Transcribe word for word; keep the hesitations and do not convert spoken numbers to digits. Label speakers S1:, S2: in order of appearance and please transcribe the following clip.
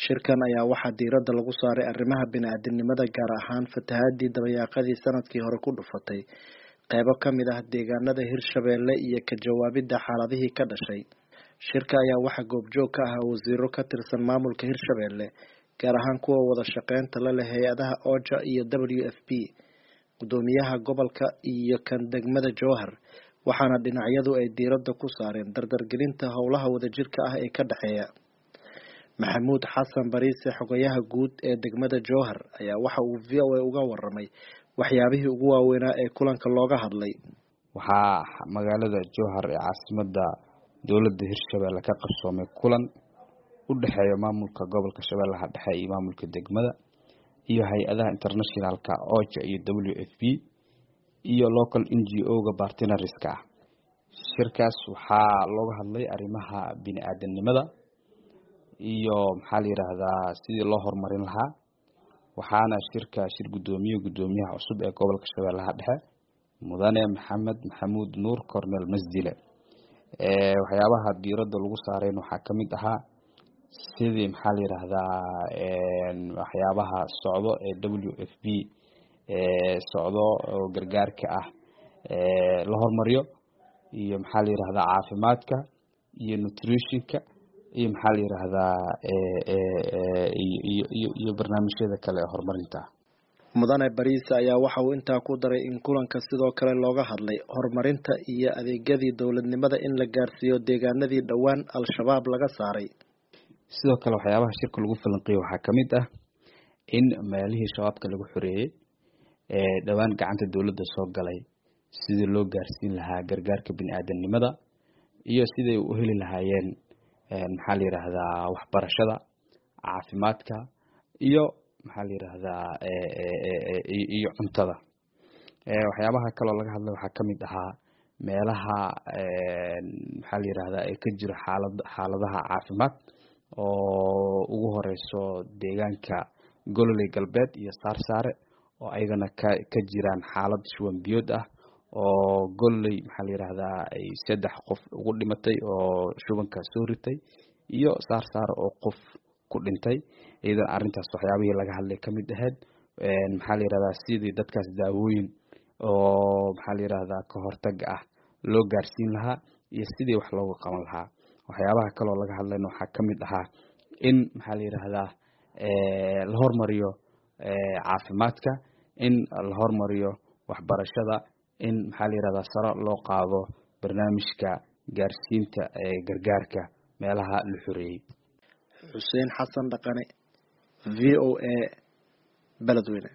S1: Shirkan ayaa waxaa diiradda lagu saaray arrimaha bini'aadantinimada, gaar ahaan fatahaadii dabayaaqadii sanadkii hore ku dhufatay qaybo ka mid ah deegaanada Hirshabelle iyo ka jawaabidda xaaladihii ka dhashay. Shirka ayaa waxaa goobjoog ka ahaa wasiiro ka tirsan maamulka Hirshabelle, gaar ahaan kuwa wada shaqeynta la leh hay'adaha OCHA iyo W F P, guddoomiyaha gobolka iyo kan degmada Jowhar, waxaana dhinacyadu ay diiradda ku saareen dardargelinta howlaha wadajirka ah ee ka dhexeeya. Maxamuud Xasan Bariise, xogayaha guud ee degmada Jowhar, ayaa waxa uu V O A uga waramay waxyaabihii ugu waaweynaa ee kulanka looga hadlay.
S2: Waxaa magaalada Jowhar ee caasimadda dowladda Hirshabelle ka qabsoomay kulan u dhexeeya maamulka gobolka Shabeellaha Dhexe iyo maamulka degmada iyo hay-adaha internationalka OCHA iyo W F P iyo local N G O-ga partnerska ah. Shirkaas waxaa looga hadlay arrimaha bini'aadantinimada iyo maxaa la yiraahdaa sidii loo horumarin lahaa. Waxaana shirka shir guddoomiye guddoomiyaha cusub ee gobolka Shabeellaha Dhexe Mudane Maxamed Maxamuud Nuur Cornel Masdile. Ee waxyaabaha diiradda lagu saaray waxaa ka mid ahaa sidii maxaa la yiraahdaa een waxyaabaha socdo ee W F P ee socdo oo gargaarka ah ee la hormariyo iyo maxaa la yiraahdaa caafimaadka iyo nutritionka iyo maxaa la yiraahdaa ee ee iyo iyo iyo barnaamijyada kale ee horumarinta.
S1: Mudane Bariise ayaa waxa uu intaa ku daray in kulanka sidoo kale looga hadlay horumarinta iyo adeegyadii dowladnimada in la gaarsiiyo deegaanadii dhowaan Al-Shabaab laga saaray.
S2: Sidoo kale waxyaabaha shirka lagu falanqeeyay waxaa ka mid ah in meelihii shabaabka lagu xoreeyay ee dhowaan gacanta dowladda soo galay sidii loo gaarsiin lahaa gargaarka bini'aadantinimada iyo siday u heli lahaayeen maxaa la yiraahdaa waxbarashada, caafimaadka iyo maxaa la yiraahdaa iyo cuntada. Ee waxyaabaha kale oo laga hadlay waxaa ka mid ahaa meelaha maxaa la yiraahdaa ee ka jira xaalad xaaladaha caafimaad oo ugu horeyso deegaanka Gololey Galbeed iyo Saarsaare oo ayagana ka ka jiraan xaalad shuban biyood ah oo Gololey maxaa la yiraahdaa ay saddex qof ugu dhimatay oo shubanka soo ritay iyo Saarsaare oo qof ku dhintay. Iyadoo arrintaas waxyaabihii laga hadlay ka mid ahayd een maxaa la yiraahdaa sidii dadkaas daawooyin oo maxaa la yiraahdaa ka hortag ah loo gaarsiin lahaa iyo sidii wax looga qaban lahaa. Waxyaabaha kale oo laga hadlayna waxaa ka mid ahaa in maxaa la yiraahdaa ee la hormariyo ee caafimaadka, in la hormariyo waxbarashada, in maxaa la yiraahdaa sare loo qaado barnaamijka gaarsiinta ee gargaarka meelaha la xoreeyay.
S1: Xuseen Xasan Dhaqane, V O A, Beledweyne.